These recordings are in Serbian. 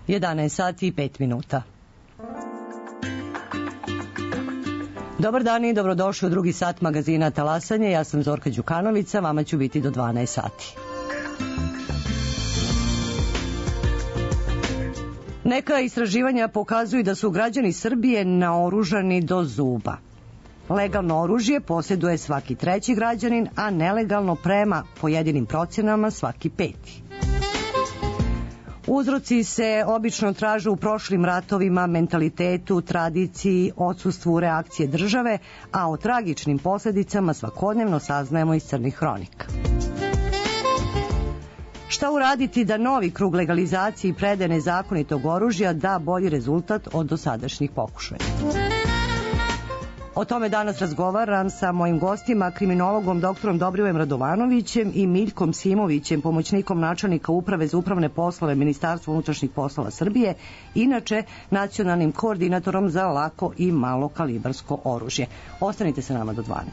11 sati i 5 minuta. Dobar dan i dobrodošli u drugi sat magazina Talasanje. Ja sam Zorka Đukanovića, vama ću biti do 12 sati. Neka istraživanja pokazuju da su građani Srbije naoružani do zuba. Legalno oružje posjeduje svaki treći građanin, a nelegalno prema pojedinim procenama svaki peti. Uzroci se obično traže u prošlim ratovima, mentalitetu, tradiciji, odsustvu reakcije države, a o tragičnim posljedicama svakodnevno saznajemo iz crnih hronika. Šta uraditi da novi krug legalizacije i predaje nezakonitog oružja da bolji rezultat od dosadašnjih pokušaja? O tome danas razgovaram sa mojim gostima, kriminologom doktorom Dobrivojem Radovanovićem i Miljkom Simovićem, pomoćnikom načelnika Uprave za upravne poslove Ministarstva unutrašnjih poslova Srbije, inače nacionalnim koordinatorom za lako i malo kalibarsko oružje. Ostanite sa nama do 12.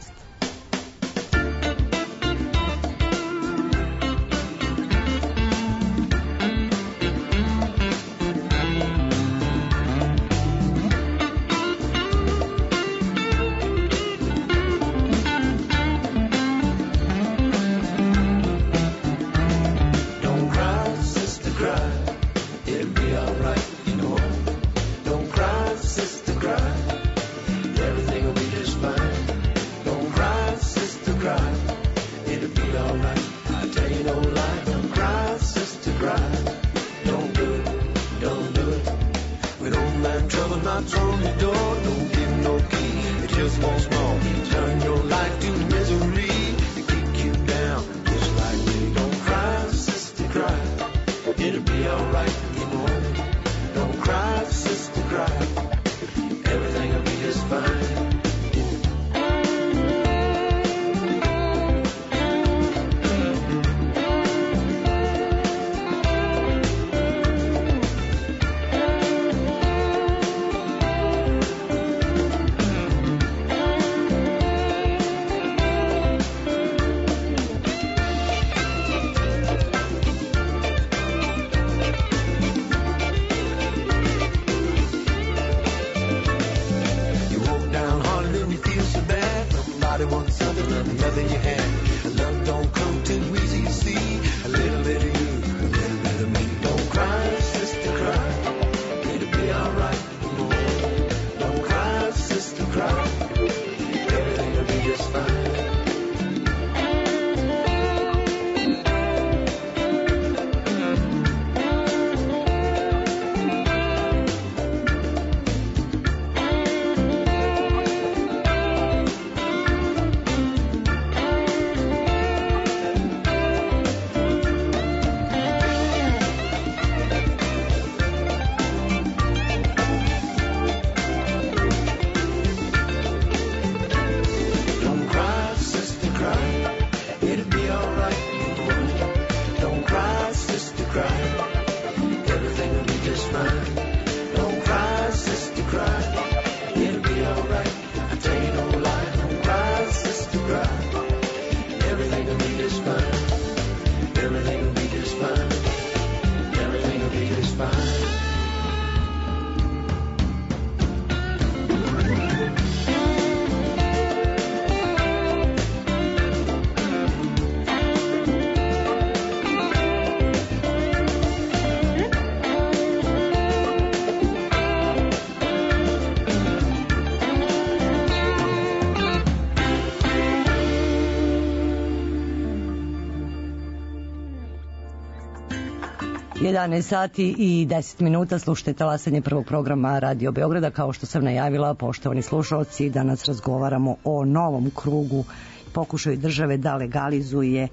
Sati i 10 minuta, slušajte Talasanje prvog programa Radio Beograda. Kao što sam najavila, poštovani slušalci, danas razgovaramo o novom krugu pokušaju države da legalizuje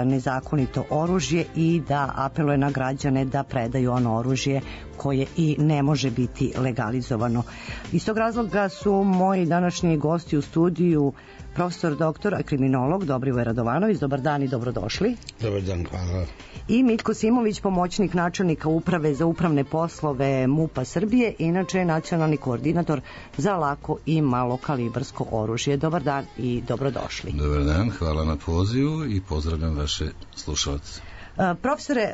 nezakonito oružje i da apeluje na građane da predaju ono oružje koje i ne može biti legalizovano. Iz tog razloga su moji današnji gosti u studiju profesor doktor, kriminolog Dobrivoje Radovanović. Dobar dan i dobrodošli. Dobar dan, hvala. I Miljko Simović, pomoćnik načelnika Uprave za upravne poslove MUP-a Srbije, inače nacionalni koordinator za lako i malo kalibarsko oružje. Dobar dan i dobrodošli. Dobar dan, hvala na pozivu i pozdravljam vaše slušalce. Profesore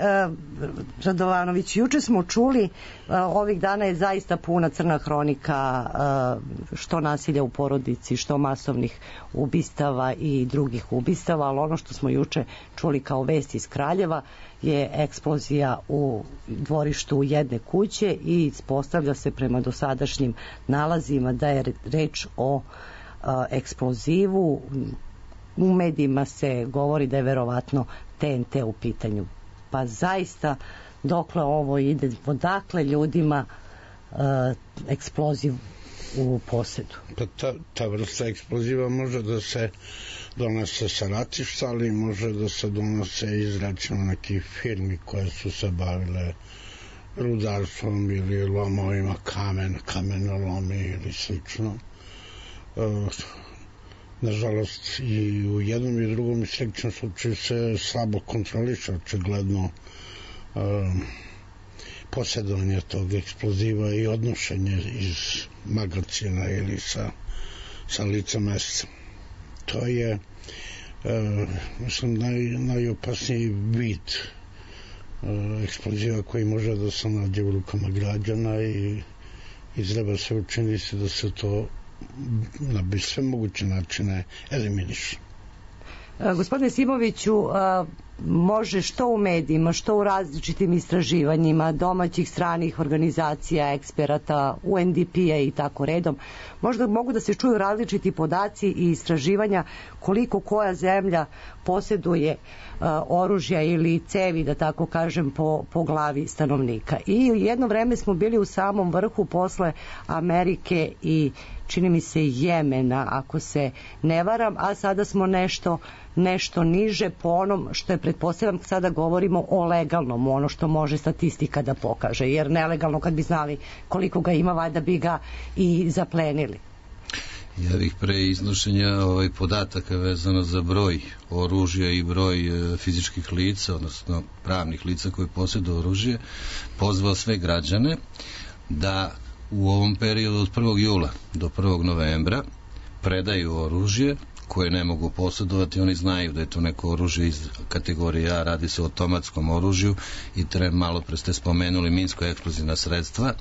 Radovanović, juče smo čuli, ovih dana je zaista puna crna hronika što nasilja u porodici, što masovnih ubistava i drugih ubistava, ali ono što smo juče čuli kao vest iz Kraljeva je eksplozija u dvorištu jedne kuće i ispostavlja se prema dosadašnjim nalazima da je reč o eksplozivu. U medijima se govori da je verovatno TNT u pitanju. Pa zaista, dokle ovo ide, odakle ljudima eksploziv u posedu? Pa ta vrsta eksploziva može da se donese sa ratišta, ali može da se donose iz recimo nekih firmi koje su se bavile rudarstvom ili lomovima kamenolomi ili slično. Nažalost, i u jednom i drugom i sličnom slučaju se slabo kontroliše očigledno posjedovanje tog eksploziva i odnošenje iz magacina ili sa lica mesta. To je, mislim, najopasniji vid eksploziva koji može da se nađe u rukama građana i treba se učiniti da se to na sve moguće načine eliminiše. Gospodine Simoviću, može što u medijima, što u različitim istraživanjima domaćih, stranih organizacija, eksperata, UNDP-a i tako redom, možda mogu da se čuju različiti podaci i istraživanja koliko koja zemlja posjeduje oružja ili cevi, da tako kažem, po glavi stanovnika. I jedno vreme smo bili u samom vrhu posle Amerike i čini mi se Jemena, ako se ne varam, a sada smo nešto niže po onom što je, pretpostavljam, sada govorimo o legalnom, ono što može statistika da pokaže, jer nelegalno, kad bi znali koliko ga ima, valjda bi ga i zaplenili. Ja bih pre iznošenja podataka vezano za broj oružja i broj fizičkih lica, odnosno pravnih lica koji posjeduju oružje, pozvao sve građane da u ovom periodu od 1. jula do 1. novembra predaju oružje koje ne mogu posjedovati. Oni znaju da je to neko oružje iz kategorije A, radi se o automatskom oružju i malo pre ste spomenuli minsko-eksplozivna sredstva,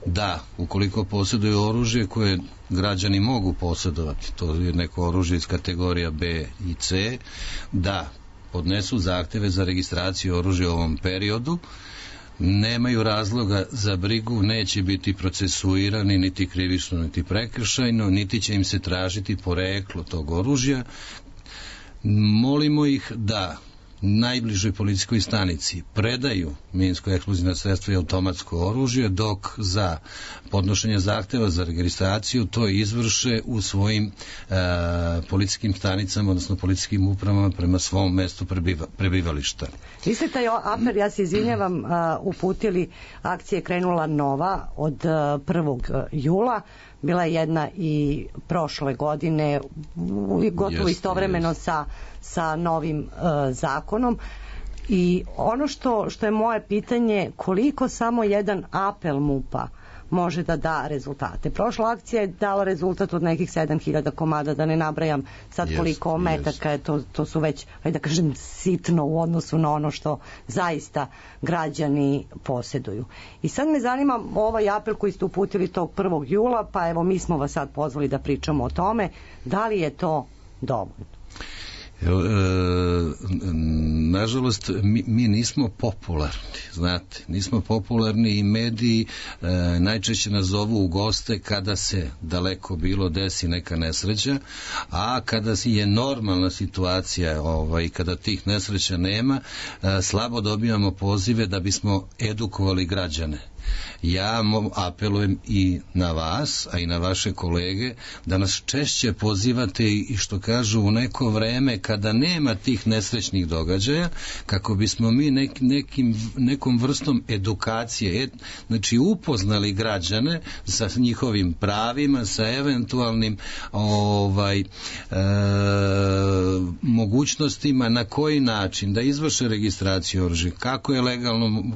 da ukoliko posjeduju oružje koje građani mogu posjedovati, to je neko oružje iz kategorija B i C, da podnesu zahteve za registraciju oružja u ovom periodu, nemaju razloga za brigu, neće biti procesuirani niti krivično, niti prekršajno, niti će im se tražiti poreklo tog oružja. Molimo ih da najbližoj policijskoj stanici predaju minsko-eksplozivna sredstva i automatsko oružje, dok za podnošenje zahteva za registraciju to izvrše u svojim policijskim stanicama, odnosno policijskim upravama prema svom mestu prebivališta. Vi ste taj apel, ja se izvinjavam, uputili, akcija je krenula nova od 1. jula, bila je jedna i prošle godine, gotovo istovremeno sa novim zakonom. I ono što je moje pitanje, koliko samo jedan apel MUP-a može da da rezultate. Prošla akcija je dala rezultat od nekih 7.000 komada, da ne nabrajam sad koliko metaka je, to su već, da kažem, sitno u odnosu na ono što zaista građani posjeduju. I sad me zanima ovaj apel koji ste uputili tog 1. jula, pa evo mi smo vas sad pozvali da pričamo o tome, da li je to dovoljno? Nažalost, mi nismo popularni, znate, nismo popularni i mediji najčešće nas zovu u goste kada se daleko bilo desi neka nesreća, a kada je normalna situacija i kada tih nesreća nema, slabo dobijamo pozive da bismo edukovali građane. Ja apelujem i na vas, a i na vaše kolege, da nas češće pozivate i što kažu u neko vreme kada nema tih nesrećnih događaja, kako bismo mi nekom vrstom edukacije, znači upoznali građane sa njihovim pravima, sa eventualnim mogućnostima na koji način da izvrše registraciju oružja,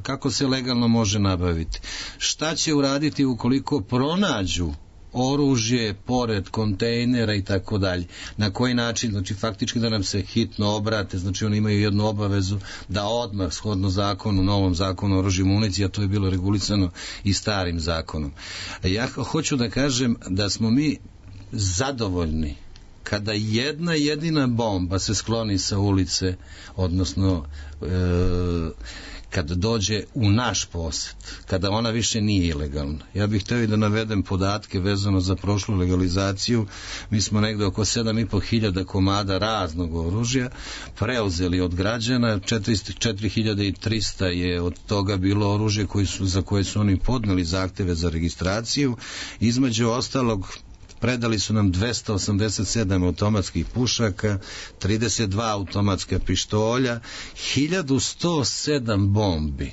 kako se legalno može nabaviti. Šta će uraditi ukoliko pronađu oružje pored kontejnera i tako dalje. Na koji način? Znači faktički da nam se hitno obrate, znači oni imaju jednu obavezu da odmah shodno zakonu, novom zakonu o oružju i municiji, a to je bilo regulisano i starim zakonom. Ja hoću da kažem da smo mi zadovoljni kada jedna jedina bomba se skloni sa ulice, odnosno kada dođe u naš posed, kada ona više nije ilegalna. Ja bih htio da navedem podatke vezano za prošlu legalizaciju. Mi smo negde oko 7.500 komada raznog oružja preuzeli od građana, 4.300 je od toga bilo oružje za koje su oni podneli zahteve za registraciju. Između ostalog, predali su nam 287 automatskih pušaka, 32 automatska pištolja, 1107 bombi.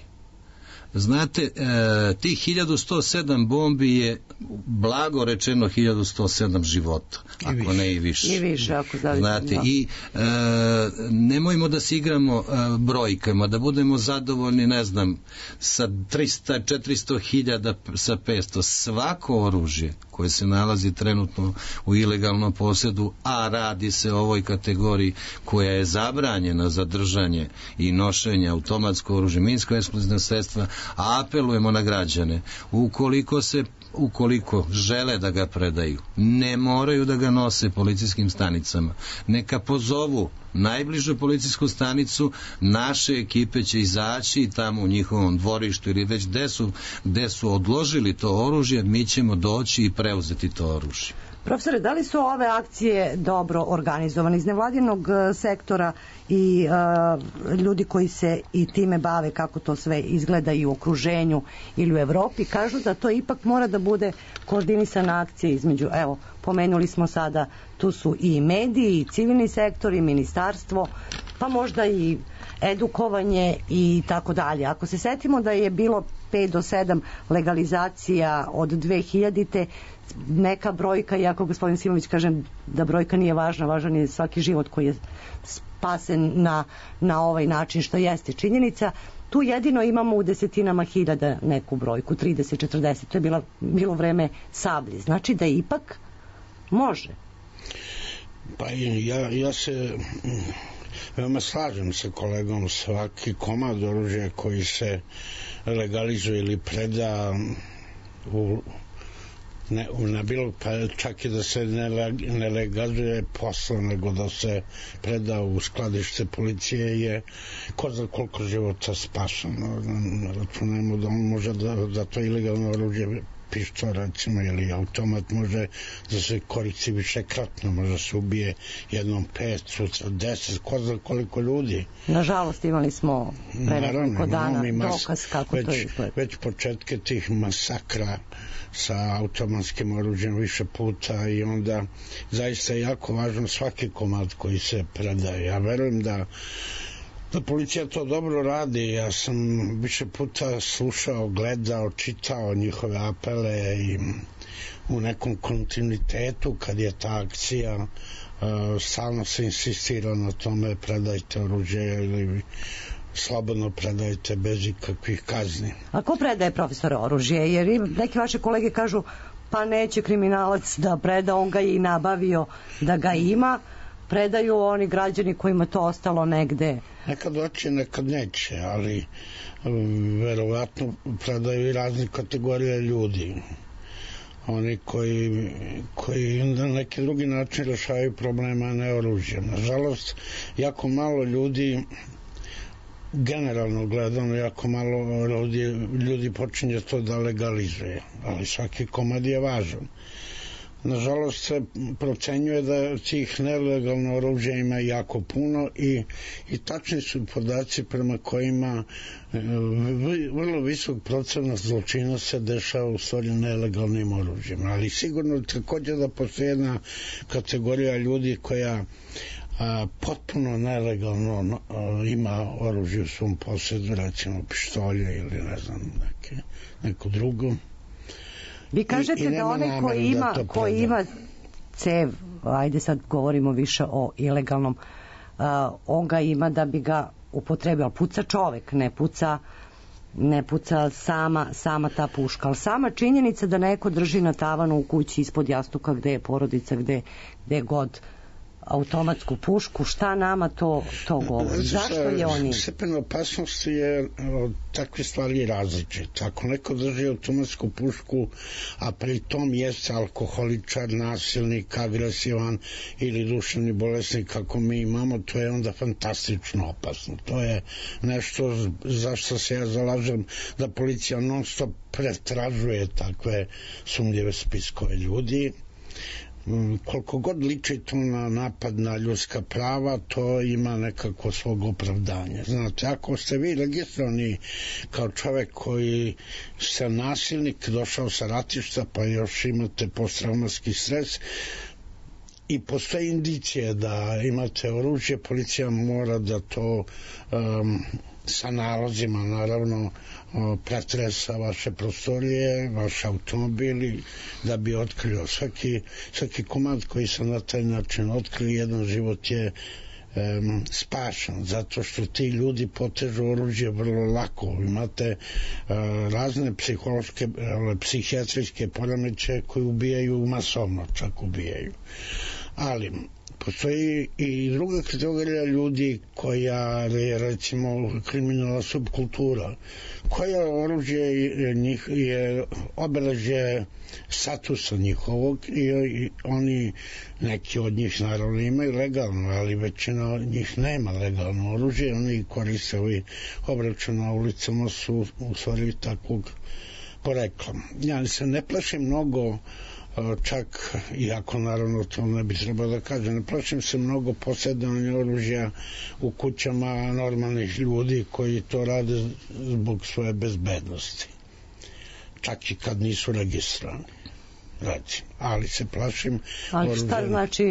Znate, tih 1107 bombi je blago rečeno 1107 života, ako ne i više. I više, ako zavisno. Znate, i nemojmo da se igramo brojkama, da budemo zadovoljni, ne znam, sa 300, 400 hiljada, sa 500. Svako oružje koje se nalazi trenutno u ilegalnom posjedu, a radi se o ovoj kategoriji koja je zabranjena za držanje i nošenje automatsko oružje, minsko-eksplozivna sredstva, a apelujemo na građane, ukoliko žele da ga predaju, ne moraju da ga nose policijskim stanicama. Neka pozovu najbližu policijsku stanicu, naše ekipe će izaći tamo u njihovom dvorištu ili već gde su odložili to oružje, mi ćemo doći i preuzeti to oružje. Profesore, da li su ove akcije dobro organizovane iz nevladinog sektora i ljudi koji se i time bave, kako to sve izgleda i u okruženju ili u Evropi, kažu da to ipak mora da bude koordinisana akcija između, evo, pomenuli smo sada, tu su i mediji, i civilni sektor, i ministarstvo, pa možda i edukovanje i tako dalje. Ako se setimo da je bilo 5 do 7 legalizacija od 2000-te, neka brojka, iako gospodin Simović kaže da brojka nije važna, važan je svaki život koji je spasen na ovaj način, što jeste činjenica, tu jedino imamo u desetinama hiljada neku brojku, 30, 40, to je bilo vreme Sablji. Znači da ipak može. Pa ja se veoma slažem sa kolegom, svaki komad oružja koji se legalizuje ili preda na bilo, pa čak i da se ne legalizuje posla, nego da se preda u skladište policije, je ko za koliko života spašeno. Računajmo da on može da to ilegalno oružje, pištolj recimo ili automat, može da se koristi višekratno, može se ubije jednom 5, sutra 10, ko za koliko ljudi. Nažalost imali smo pre nekoliko dana dokaz kako to izgleda. Već početke tih masakra sa automatskim oružjem više puta, i onda zaista je jako važno svaki komad koji se predaje. Ja verujem da policija to dobro radi. Ja sam više puta slušao, gledao, čitao njihove apele i u nekom kontinuitetu kad je ta akcija stalno se insistira na tome, predajte oružje ili slobodno predajte bez ikakvih kazni. A ko predaje, profesore, oružje? Jer neki vaše kolege kažu pa neće kriminalac da preda, on ga je i nabavio da ga ima. Predaju oni građani kojima to ostalo negde. Nekad hoće, nekad neće, ali verovatno predaju i razne kategorije ljudi. Oni koji na neki drugi način rešavaju problema, a ne oružjem. Nažalost, jako malo ljudi, generalno gledano, jako malo ljudi počinje to da legalizuje, ali svaki komad je važan. Nažalost se procenjuje da tih nelegalno oružja ima jako puno i tačni su podaci prema kojima vrlo visok procenat zločina se dešava u stvari nelegalnim oružjem. Ali sigurno također da postoji jedna kategorija ljudi koja potpuno nelegalno ima oružje u svom posjedu, recimo pištolje ili ne znam neko drugo. Vi kažete da onaj koji ima cev, ajde sad govorimo više o ilegalnom, on ga ima da bi ga upotrebio, puca čovek, ne puca ne puca sama ta puška, ali sama činjenica da neko drži na tavanu u kući ispod jastuka gde je porodica, gde god automatsku pušku, šta nama to govori? Zašto je oni? Stepen opasnosti je od takve stvari različit. Ako neko drži automatsku pušku, a pri tom jeste alkoholičar, nasilnik, agresivan ili duševni bolesnik kako mi imamo, to je onda fantastično opasno. To je nešto zašto se ja zalažem da policija non stop pretražuje takve sumnjive spiskove ljudi. Koliko god liči to na napad na ljudska prava, to ima nekako svog opravdanja. Znate, ako ste vi registrovani kao čovek koji ste nasilnik, došao sa ratišta, pa još imate posttraumatski stres i postoje indicije da imate oružje, policija mora da to sa nalozima naravno pretresa vaše prostorije, vaš automobili, da bi otkrio svaki komad koji se na taj način otkrio, jedan život je spašan, zato što ti ljudi potežu oružje vrlo lako. Imate razne psihološke, psihijatrijske poremećaje koji ubijaju masovno, čak ubijaju. Ali postoji i druga kategorija ljudi koja je recimo kriminalna subkultura, koja oružje je obeležje statusa njihovog i oni, neki od njih naravno imaju legalno, ali većina njih nema legalno oružje, oni koriste ovi obračun na ulicama su u stvari takvog porekla. Ja se ne plašim mnogo, čak, iako naravno to ne bi trebalo da kažem, ne plašim se mnogo posjedovanja oružja u kućama normalnih ljudi koji to rade zbog svoje bezbednosti, čak i kad nisu registrovani, recimo. Ali se plašim ali šta znači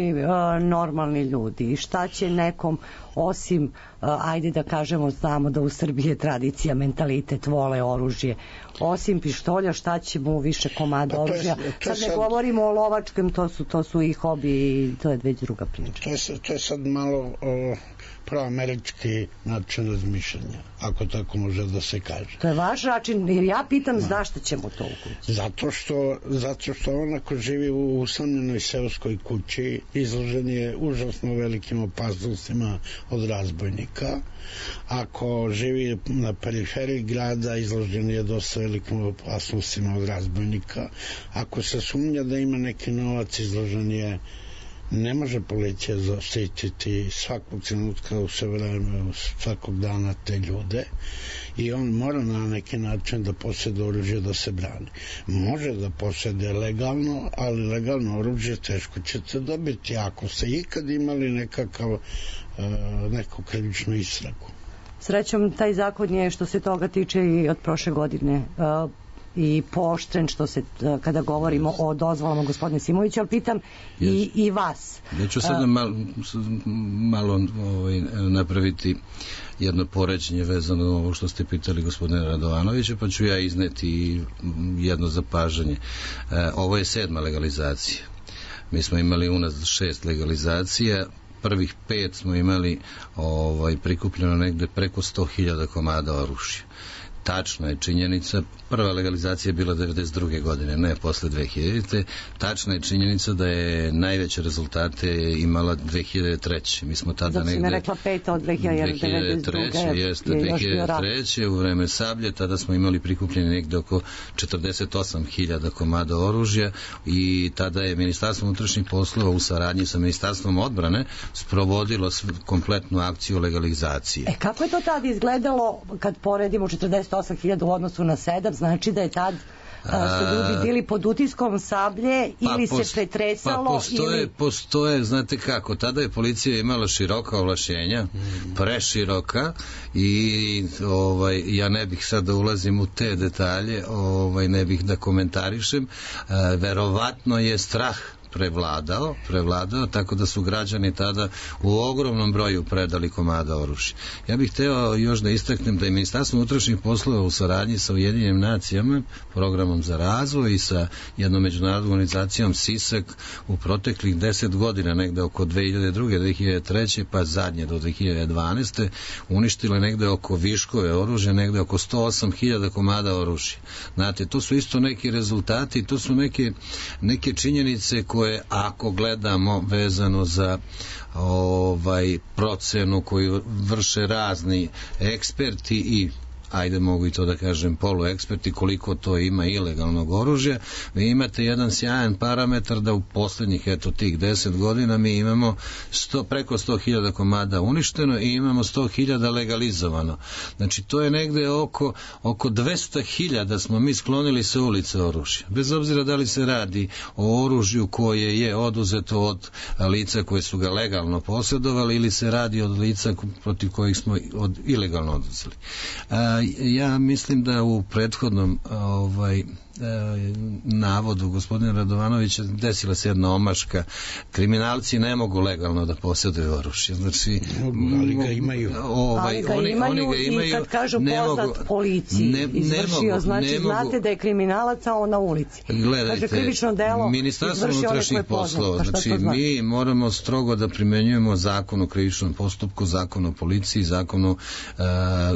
normalni ljudi i šta će nekom osim ajde da kažemo, znamo da u Srbiji je tradicija, mentalitet, vole oružje, osim pištolja šta će mu više komada oružja, sad ne govorimo o lovačkem, to su i hobi i to je već druga priča. To je sad malo proamerički način razmišljanja, ako tako može da se kaže. To je vaš način, jer ja pitam zašto ćemo to u kući? Zato što on ako živi u usamljenoj seoskoj kući izložen je užasno velikim opasnostima od razbojnika. Ako živi na periferiji grada izložen je dosta velikim opasnostima od razbojnika. Ako se sumnja da ima neki novac, izložen je. Ne može policija zaštititi svakog trenutka u sve vreme, svakog dana te ljude i on mora na neki način da posjeduje oružje da se brani. Može da posjeduje legalno, ali legalno oružje teško ćete dobiti ako ste ikad imali neku krivičnu istragu. Srećom, taj zakon je što se toga tiče i od prošle godine i pooštren što se kada govorimo o dozvolama gospodine Simović, ali pitam i vas. Ja ću sada malo napraviti jedno poređenje vezano na ovo što ste pitali gospodine Radovanovića, pa ću ja izneti jedno zapažanje. Ovo je 7. legalizacija. Mi smo imali u nas 6 legalizacija, prvih 5 smo imali prikupljeno negde preko 100.000 komada oružja. Tačna je činjenica, prva legalizacija je bila 92. godine, ne posle 2000. Tačna je činjenica da je najveće rezultate imala 2003. Mi smo tada zato negde... Zato si me rekla 5. od 2003. Jeste, 2003. U vreme Sablje, tada smo imali prikupljeni negde oko 48.000 komada oružja i tada je Ministarstvo unutrašnjih poslova u saradnji sa Ministarstvom odbrane sprovodilo kompletnu akciju legalizacije. Kako je to tada izgledalo kad poredimo 48.000 u odnosu na 7, znači da je tad su ljudi bili pod utiskom Sablje ili se pretresalo postoje, znate kako, tada je policija imala široka ovlašćenja, preširoka i ja ne bih sad da ulazim u te detalje, ne bih da komentarišem, verovatno je strah prevladao, tako da su građani tada u ogromnom broju predali komada oružja. Ja bih hteo još da istaknem da je Ministarstvo unutrašnjih poslova u saradnji sa Ujedinjenim nacijama, programom za razvoj i sa jednom međunarodnom organizacijom SISAK u proteklih 10 godina, negde oko 2002. 2003. pa zadnje do 2012. uništile negde oko viškove oružja, negde oko 108.000 komada oružja. Znate, to su isto neki rezultati, to su neke činjenice koje, ako gledamo vezano za procenu koju vrše razni eksperti i mogu i to da kažem polueksperti, koliko to ima ilegalnog oružja, vi imate jedan sjajan parametar da u poslednjih tih 10 godina mi imamo preko 100.000 komada uništeno i imamo 100.000 legalizovano. Znači to je negde oko 200.000 smo mi sklonili sa ulice oružja. Bez obzira da li se radi o oružju koje je oduzeto od lica koje su ga legalno posjedovali ili se radi od lica protiv kojih smo ilegalno oduzeli. Ja mislim da u prethodnom navodu gospodina Radovanovića desila se jedna omaška. Kriminalci ne mogu legalno da posjeduju oružje. Znači, ali ga imaju. Oni ga imaju i kad kažu poznat policiji izvršio, znači znate da je kriminalac, a on na ulici. Gledajte, krivično delo Ministarstvo unutrašnjih poslova, znači mi moramo strogo da primenjujemo zakon o krivičnom postupku, zakon o policiji, zakon o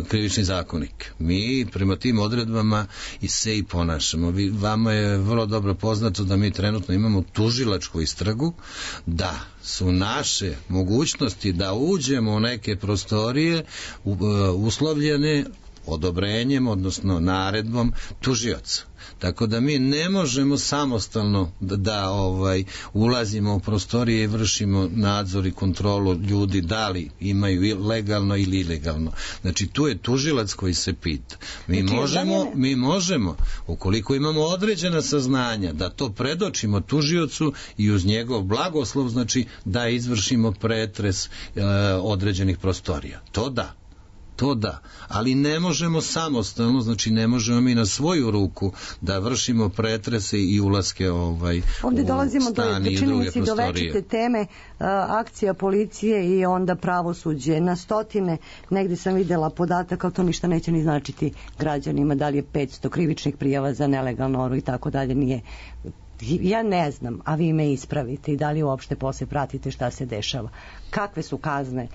krivični zakonik. Mi prema tim odredbama se i ponašamo. Vama je vrlo dobro poznato da mi trenutno imamo tužilačku istragu, da su naše mogućnosti da uđemo u neke prostorije uslovljene odobrenjem, odnosno naredbom tužioca. Tako da mi ne možemo samostalno da ulazimo u prostorije i vršimo nadzor i kontrolu ljudi da li imaju legalno ili ilegalno. Znači tu je tužilac koji se pita. Mi možemo, ukoliko imamo određena saznanja, da to predočimo tužiocu i uz njegov blagoslov, znači da izvršimo pretres određenih prostorija. To da, ali ne možemo samostalno, znači ne možemo mi na svoju ruku da vršimo pretrese i ulaske ovde dolazimo do činjenici do večite teme, akcija policije i onda pravosuđe. Na stotine, negde sam videla podatak, ali to ništa neće ni značiti građanima, da li je 500 krivičnih prijava za nelegalno oružje i tako dalje, nije. Ja ne znam, a vi me ispravite i da li uopšte posle pratite šta se dešava. Kakve su kazne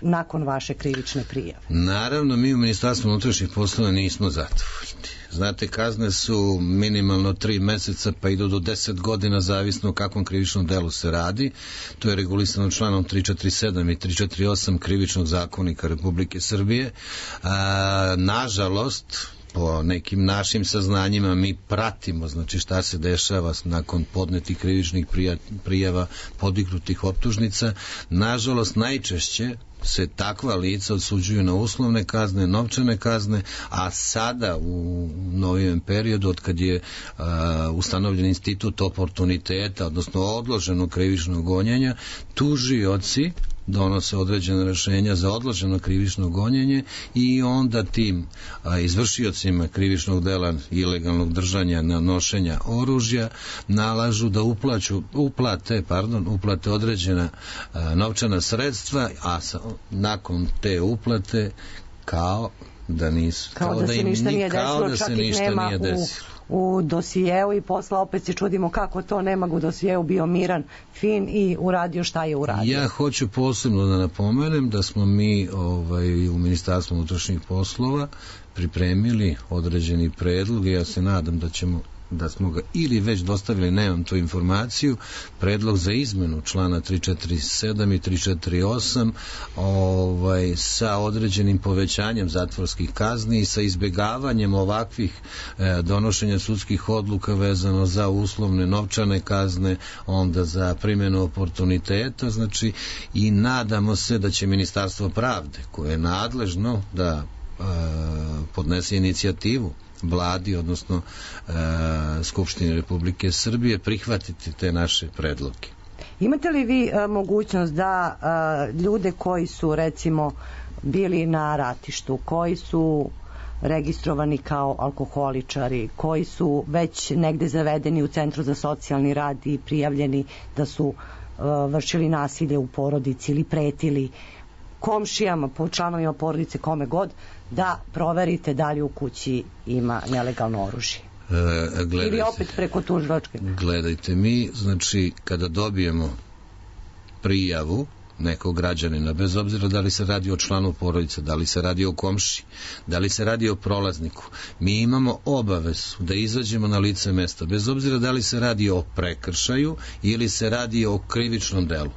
nakon vaše krivične prijave? Naravno, mi u Ministarstvu unutrašnjih poslova nismo zadovoljni. Znate, kazne su minimalno 3 meseca pa idu do 10 godina, zavisno o kakvom krivičnom delu se radi. To je regulisano članom 347 i 348 krivičnog zakonika Republike Srbije. Nažalost, po nekim našim saznanjima mi pratimo, znači šta se dešava nakon podnetih krivičnih prijava, podignutih optužnica. Nažalost, najčešće se takva lica odsuđuju na uslovne kazne, novčane kazne, a sada u novijem periodu, od kad je ustanovljen institut oportuniteta, odnosno odloženog krivičnog gonjenja, tužioci donose određene rešenja za odloženo krivično gonjenje i onda tim izvršiocima krivičnog dela ilegalnog držanja, nošenja oružja nalažu da uplate određena novčana sredstva, a nakon te uplate kao da se ništa nije desilo. U dosijeu i posle opet se čudimo kako to nema u dosijeu, bio miran, fin i uradio šta je uradio. Ja hoću posebno da napomenem da smo mi u Ministarstvu unutrašnjih poslova pripremili određeni predlog i ja se nadam da smo ga ili već dostavili, nemam tu informaciju, predlog za izmenu člana 347 i 348 sa određenim povećanjem zatvorskih kazni i sa izbegavanjem ovakvih donošenja sudskih odluka vezano za uslovne novčane kazne, onda za primjenu oportuniteta, znači, i nadamo se da će Ministarstvo pravde, koje je nadležno da podnese inicijativu Vladi, odnosno Skupštini Republike Srbije, prihvatiti te naše predloge. Imate li vi mogućnost da ljude koji su recimo bili na ratištu, koji su registrovani kao alkoholičari, koji su već negde zavedeni u Centru za socijalni rad i prijavljeni da su vršili nasilje u porodici ili pretili komšijama, članovima porodice, kome god, da proverite da li u kući ima nelegalno oružje. Ili opet preko tužilačke. Gledajte, mi, znači, kada dobijemo prijavu nekog građanina, bez obzira da li se radi o članu porodice, da li se radi o komši, da li se radi o prolazniku, mi imamo obavezu da izađemo na lice mesta, bez obzira da li se radi o prekršaju ili se radi o krivičnom delu.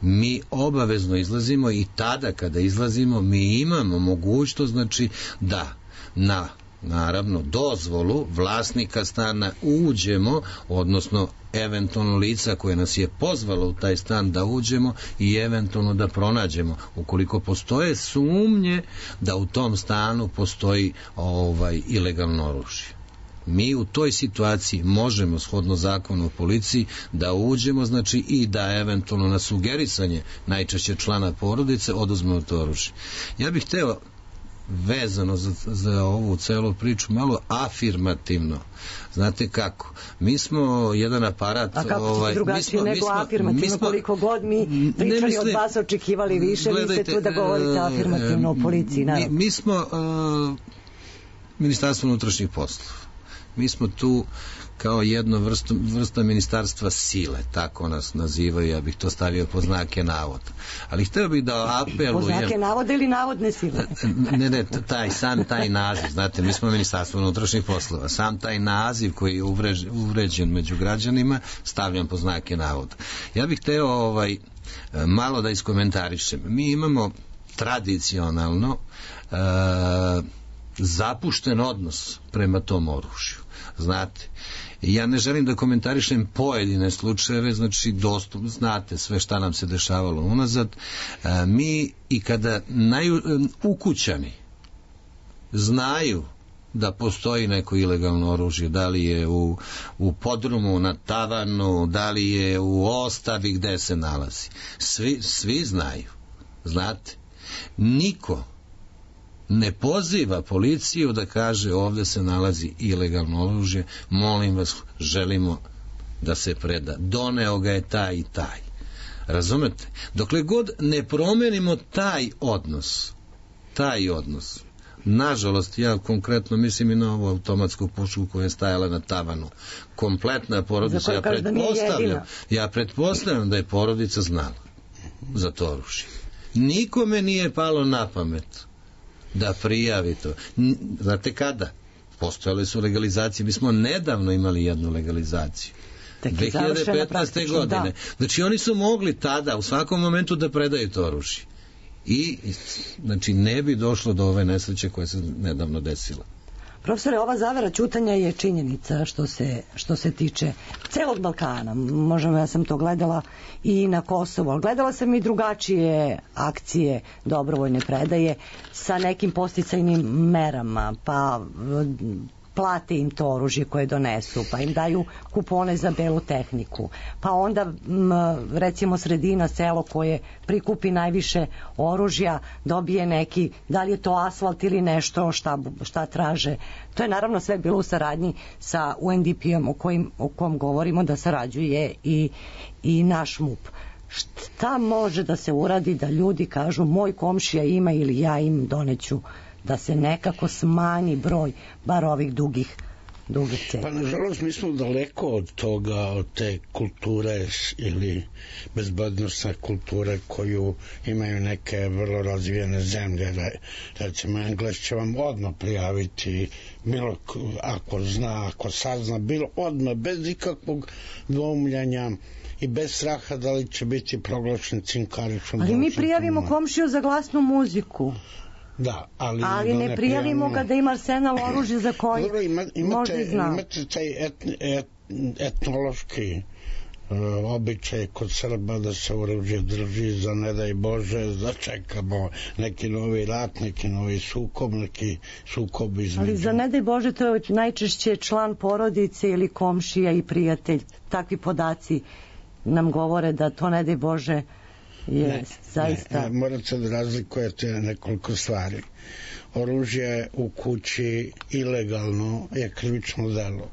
Mi obavezno izlazimo i tada kada izlazimo mi imamo mogućnost, znači, da na naravno dozvolu vlasnika stana uđemo, odnosno eventualno lica koje nas je pozvalo u taj stan da uđemo i eventualno da pronađemo ukoliko postoje sumnje da u tom stanu postoji ilegalno oružje. Mi u toj situaciji možemo, shodno zakonu o policiji, da uđemo, znači, i da eventualno na sugerisanje najčešće člana porodice oduzmemo to oružje. Ja bih hteo vezano za ovu celu priču malo afirmativno. Znate kako? Mi smo jedan aparat... A kako ćete drugačije nego afirmativno? Koliko god mi pričali od vas očekivali više, vi ste tu da govorite afirmativno o policiji, naravno. Mi smo Ministarstvo unutrašnjih poslova. Mi smo tu kao jedno vrsta ministarstva sile, tako nas nazivaju, ja bih to stavio po znake navoda. Ali hteo bih da apelujem... Po znake navoda ili navodne sile? Ne, sam taj naziv, znate, mi smo Ministarstvo unutrašnjih poslova, sam taj naziv koji je uvređen među građanima, stavljam po znake navoda. Ja bih hteo malo da iskomentarišem. Mi imamo tradicionalno zapušten odnos prema tom oružju. Znate, ja ne želim da komentarišem pojedine slučajeve, znači znate sve šta nam se dešavalo unazad. Mi i kada ukućani znaju da postoji neko ilegalno oružje, da li je u podrumu, na tavanu, da li je u ostavi gde se nalazi. Svi znaju. Znate, niko ne poziva policiju da kaže ovde se nalazi ilegalno oružje, molim vas, želimo da se preda. Doneo ga je taj i taj. Razumete? Dokle god ne promenimo taj odnos, nažalost, ja konkretno mislim i na ovu automatsku pušku koja je stajala na tavanu, kompletna porodica, ja pretpostavljam da je porodica znala za to oružje. Nikome nije palo na pamet da prijavi to. Znate kada? Postojale su legalizacije. Mi smo nedavno imali jednu legalizaciju. 2015. godine. Znači oni su mogli tada u svakom momentu da predaju to oružje. I znači ne bi došlo do ove nesreće koja se nedavno desila. Profesore, ova zavera ćutanja je činjenica što se tiče celog Balkana. Možemo, ja sam to gledala i na Kosovu, ali gledala sam i drugačije akcije dobrovoljne predaje sa nekim podsticajnim merama, pa plate im to oružje koje donesu, pa im daju kupone za belu tehniku, pa onda recimo sredina, selo koje prikupi najviše oružja dobije neki, da li je to asfalt ili nešto šta traže. To je naravno sve bilo u saradnji sa UNDP-om o kom govorimo da sarađuje i naš MUP. Šta može da se uradi da ljudi kažu moj komšija ima ili ja im doneću, da se nekako smanji broj bar ovih dugih cena? Pa nažalost mi smo daleko od toga, od te kulture ili bezbednostne kulture koju imaju neke vrlo razvijene zemlje. Recimo Engles će vam odmah prijaviti bilo ako zna, ako sazna, bilo odmah, bez ikakvog dvoumljanja i bez straha da li će biti proglašen cinkaričom. Ali mi prijavimo komšiju za glasnu muziku. Da, ali ne prijavimo ga da ima arsenal oružja za koji možda i zna. Imate taj etnološki običaj kod Srba da se oružje drži za ne daj Bože, da čekamo neki novi rat, neki novi sukob između. Ali za ne daj Bože to je najčešće član porodice ili komšija i prijatelj. Takvi podaci nam govore da to ne daj Bože je zaista... Morate da razlikujete nekoliko stvari. oružje u kući ilegalno je krivično delo.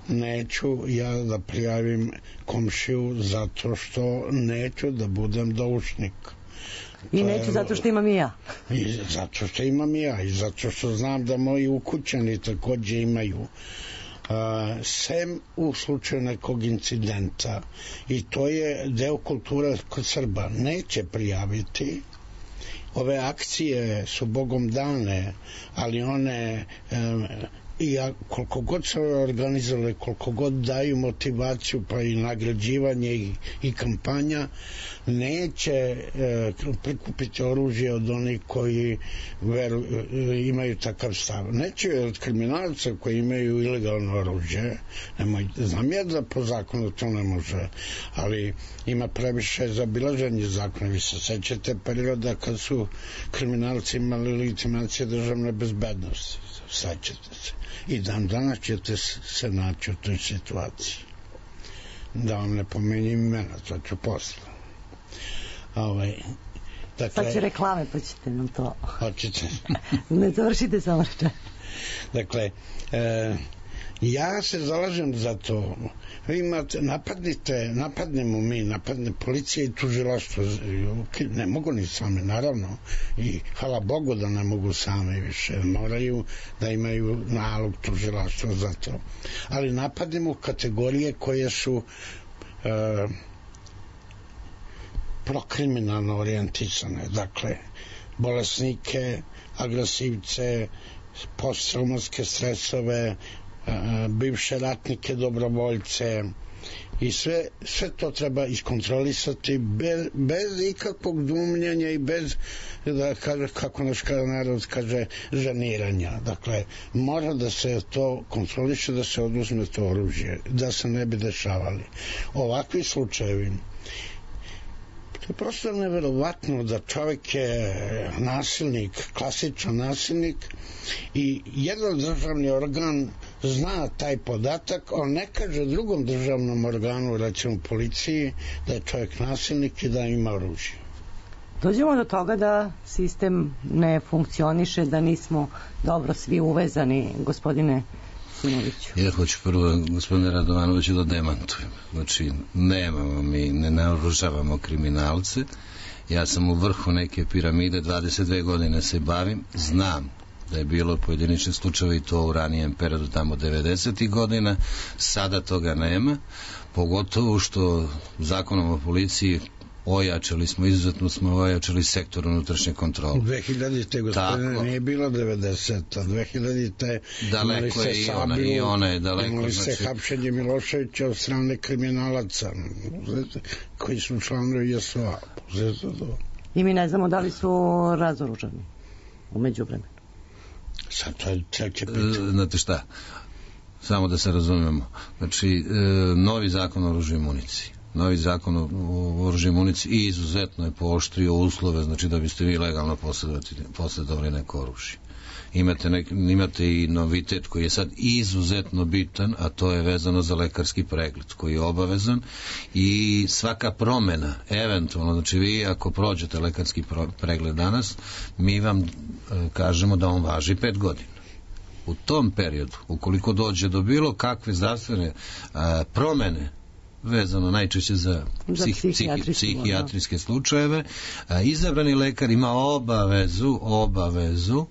Neću ja da prijavim komšiju zato što neću da budem doušnik. I neću zato što imam i ja. I zato što imam i ja i zato što znam da moji ukućani takođe imaju. Sem u slučaju nekog incidenta, i to je deo kulture kod Srba, neće prijaviti. Ove akcije su Bogom dane, ali one i koliko god se organizovali, koliko god daju motivaciju pa i nagrađivanje i kampanja, neće prikupiti oružje od onih koji imaju takav stav. Neće od kriminalca koji imaju ilegalno oružje. Znam ja da po zakonu to ne može, ali ima previše zabilaženje zakona. Vi se sećate perioda kad su kriminalci imali legitimacije državne bezbednosti. Sećate se. I dan danas ćete se naći u toj situaciji. Da vam ne pomenim imena, to ću posle. Dakle, sad će reklame, pa ćete nam to... Hoćete. Ne završite samo reče. Dakle, ja se zalažem za to. Vi imate, napadnemo mi, napadne policija i tužilaštvo. Ne mogu ni same, naravno. I hvala Bogu da ne mogu same više. Moraju da imaju nalog tužilaštva za to. Ali napadnemo kategorije koje su prokriminalno orijentisane. Dakle, bolesnike, agresivce, posttraumatske stresove, bivše ratnike, dobrovoljce i sve to treba iskontrolisati bez ikakvog dumnjanja i bez, da kaže, kako naš narod kaže, žaniranja. Dakle, mora da se to kontroliše, da se oduzme to oružje, da se ne bi dešavali ovakvi slučajevi. To je prosto neverovatno da čovjek je nasilnik, klasičan nasilnik, i jedan državni organ zna taj podatak, on ne kaže drugom državnom organu, recimo policiji, da je čovjek nasilnik i da ima oružje. Dođemo do toga da sistem ne funkcioniše, da nismo dobro svi uvezani, gospodine Simoviću. Ja hoću prvo, gospodine Radovanoviću, da demantujem. Znači, nemamo mi, ne naoružavamo kriminalce. Ja sam u vrhu neke piramide, 22 godine se bavim, znam da je bilo pojediničnih slučajeva i to u ranijem periodu, tamo 90. godina, sada toga nema, pogotovo što zakonom o policiji izuzetno smo ojačali sektor unutrašnje kontrole. 2000. gospodine nije bilo 90. 2000. daleko je i ona je daleko. Imali se hapšenje Miloševića od strane kriminalaca koji su članovi JSO-a. I mi ne znamo da li su razoružani u međuvremenu. Sad to je treće pitanje. Znate šta, samo da se razumemo, znači novi zakon o oružju i municiji, novi zakon o oružju i municiji i izuzetno je pooštrio uslove, znači da biste vi legalno posjedovali neko oružje. Imate i novitet koji je sad izuzetno bitan, a to je vezano za lekarski pregled koji je obavezan, i svaka promena eventualno, znači vi ako prođete lekarski pregled danas, mi vam kažemo da on važi 5 godina. U tom periodu, ukoliko dođe do bilo kakve zdravstvene promene vezano najčešće za psihijatrijske slučajeve, izabrani lekar ima obavezu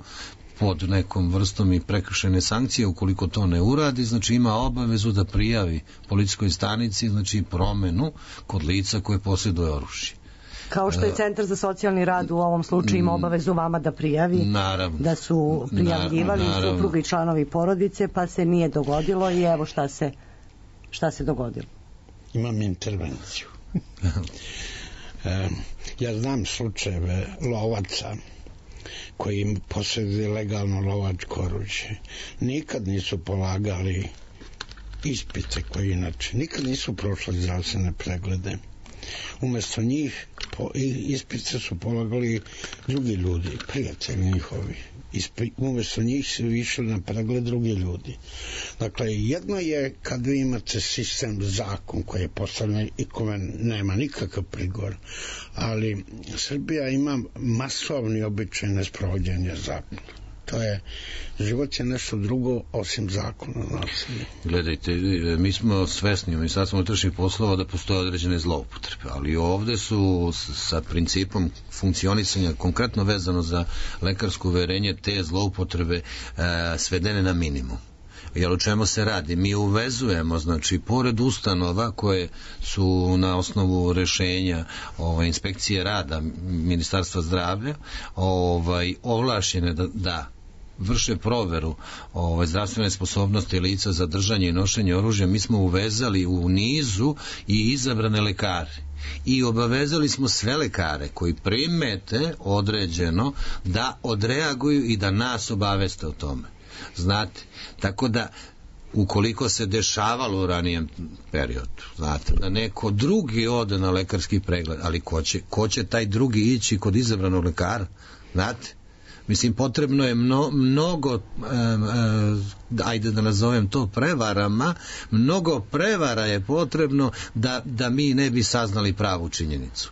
pod nekom vrstom i prekršajne sankcije ukoliko to ne uradi, znači ima obavezu da prijavi policijskoj stanici, znači promenu kod lica koje posjeduje oružje. Kao što je Centar za socijalni rad u ovom slučaju ima obavezu vama da prijavi, naravno, da su prijavljivali supruga i članovi porodice, pa se nije dogodilo i evo šta se dogodilo. Imam intervenciju. Ja znam slučajeve lovaca koji posjeduju legalno lovačko oružje. Nikad nisu polagali ispite koji inače, nikad nisu prošli zdravstvene preglede. Umesto njih ispite su polagali drugi ljudi, prijatelji njihovi. Umesto njih su išli na pregled drugi ljudi. Dakle, jedno je kad vi imate sistem, zakon koji je postavljen i kome nema nikakav prigovor, ali Srbija ima masovni običaj nesprovođenja zakona. to je, život je nešto drugo osim zakona nasilja. Gledajte, mi smo svesni u Ministarstvu unutrašnjih poslova da postoje određene zloupotrebe, ali ovde su sa principom funkcionisanja konkretno vezano za lekarsko uverenje te zloupotrebe svedene na minimum. Jer o čemu se radi? Mi uvezujemo, znači, pored ustanova koje su na osnovu rešenja inspekcije rada Ministarstva zdravlja ovlašćene da vrše proveru zdravstvene sposobnosti lica za držanje i nošenje oružja, mi smo uvezali u nizu i izabrane lekare. I obavezali smo sve lekare koji primete određeno da odreaguju i da nas obaveste o tome. Znate, tako da ukoliko se dešavalo u ranijem periodu, znate, da neko drugi ode na lekarski pregled, ali ko će taj drugi ići kod izabranog lekara, znate, mislim, potrebno je mnogo, ajde da nazovem to prevarama, mnogo prevara je potrebno da mi ne bi saznali pravu činjenicu.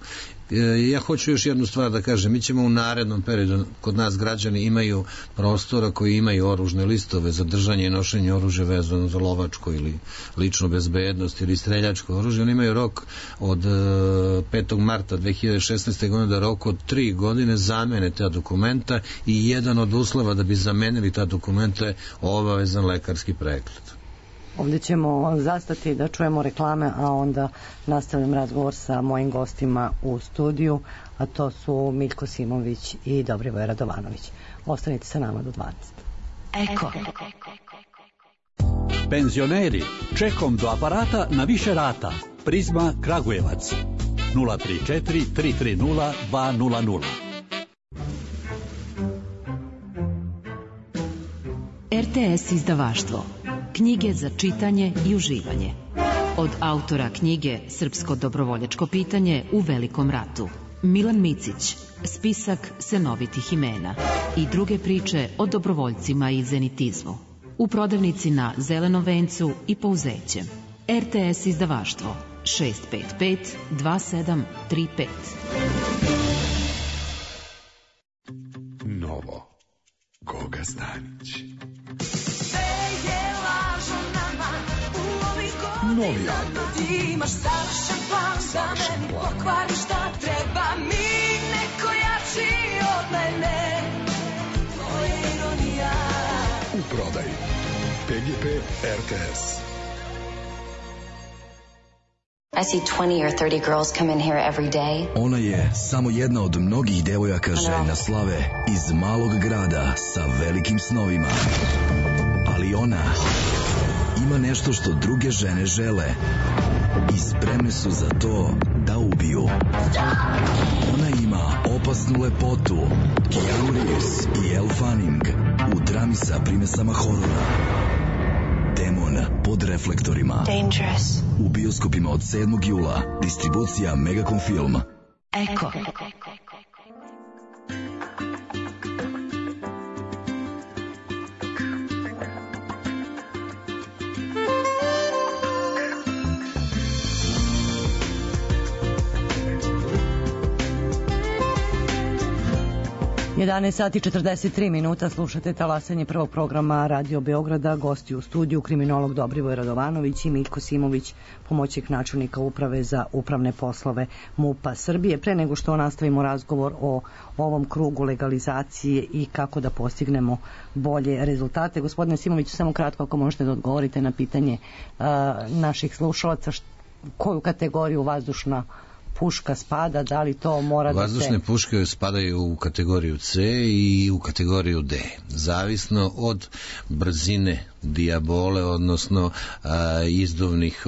Ja hoću još jednu stvar da kažem, mi ćemo u narednom periodu, kod nas građani imaju prostora koji imaju oružne listove za držanje i nošenje oružja vezano za lovačko ili ličnu bezbednost ili streljačko oružje, oni imaju rok od 5. marta 2016. godine da rok od 3 godine zamene ta dokumenta i jedan od uslova da bi zamenili ta dokumenta je obavezan lekarski pregled. Ovdje ćemo zastati da čujemo reklame, a onda nastavljam razgovor sa mojim gostima u studiju, a to su Miljko Simović i Dobrivoje Radovanović. Ostanite sa nama do 12. Eko. Penzioneri, čekom do aparata na više rata. Prizma Kragujevac 034 330 200. RTS izdavaštvo. Knjige za čitanje i uživanje. Od autora knjige Srpsko dobrovoljačko pitanje u Velikom ratu. Milan Micić, spisak senovitih imena i druge priče o dobrovoljcima i zenitizmu. U prodavnici na Zelenom vencu i Pouzećem. RTS izdavaštvo 655 2735. Novo. Goga Stanić. Novi album. Imaš savršen plan da meni pokvariš šta treba mi neko jači od mene. To je ironija. U prodaji PGP RTS. I see 20 or 30 girls come in here every day. Ona je samo jedna od mnogih devojaka željna slave iz malog grada sa velikim snovima. Ali ona ima nešto što druge žene žele i spremne su za to da ubiju. Ona ima opasnu lepotu, Keanu Reeves i Elle Fanning u drami sa primesama horora. Demon pod reflektorima. Dangerous. U bioskopima od 7. jula. Distribucija Megacom Film. Eko. Sati 43 minuta, slušate talasanje prvog programa Radio Beograda, gosti u studiju kriminolog Dobrivoje Radovanović i Miljko Simović, pomoćnik načelnika uprave za upravne poslove MUP-a Srbije. Pre nego što nastavimo razgovor o ovom krugu legalizacije i kako da postignemo bolje rezultate, gospodine Simović, samo kratko ako možete da odgovorite na pitanje naših slušalaca, koju kategoriju vazdušna puška spada, da li to mora da se... Vazdušne puške spadaju u kategoriju C i u kategoriju D, zavisno od brzine dijabole, odnosno izduvnih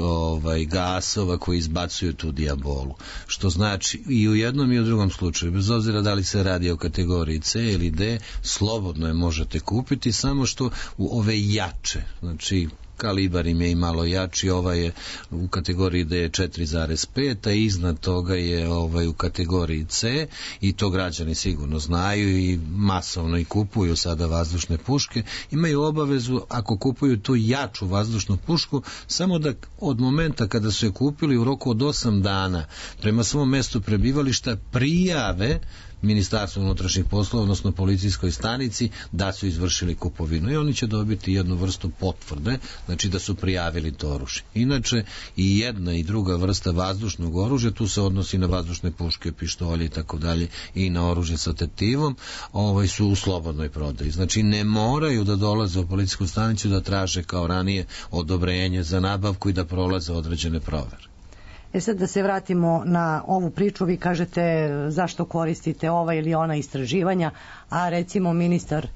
gasova koji izbacuju tu dijabolu. Što znači i u jednom i u drugom slučaju, bez obzira da li se radi o kategoriji C ili D, slobodno je možete kupiti, samo što u ove jače, znači kalibar im je i malo jači, ovaj je u kategoriji D 4,5, a iznad toga je u kategoriji C, i to građani sigurno znaju i masovno i kupuju sada vazdušne puške. Imaju obavezu, ako kupuju tu jaču vazdušnu pušku, samo da od momenta kada su je kupili u roku od 8 dana prema svom mestu prebivališta prijave Ministarstvu unutrašnjih poslova, odnosno policijskoj stanici, da su izvršili kupovinu i oni će dobiti jednu vrstu potvrde, znači da su prijavili to oružje. Inače, i jedna i druga vrsta vazdušnog oružja, tu se odnosi na vazdušne puške, pištolje i tako dalje, i na oružje sa tetivom, su u slobodnoj prodaji. Znači, ne moraju da dolaze u policijsku stanicu da traže kao ranije odobrenje za nabavku i da prolaze određene provere. Sad da se vratimo na ovu priču, vi kažete zašto koristite ova ili ona istraživanja, a recimo ministar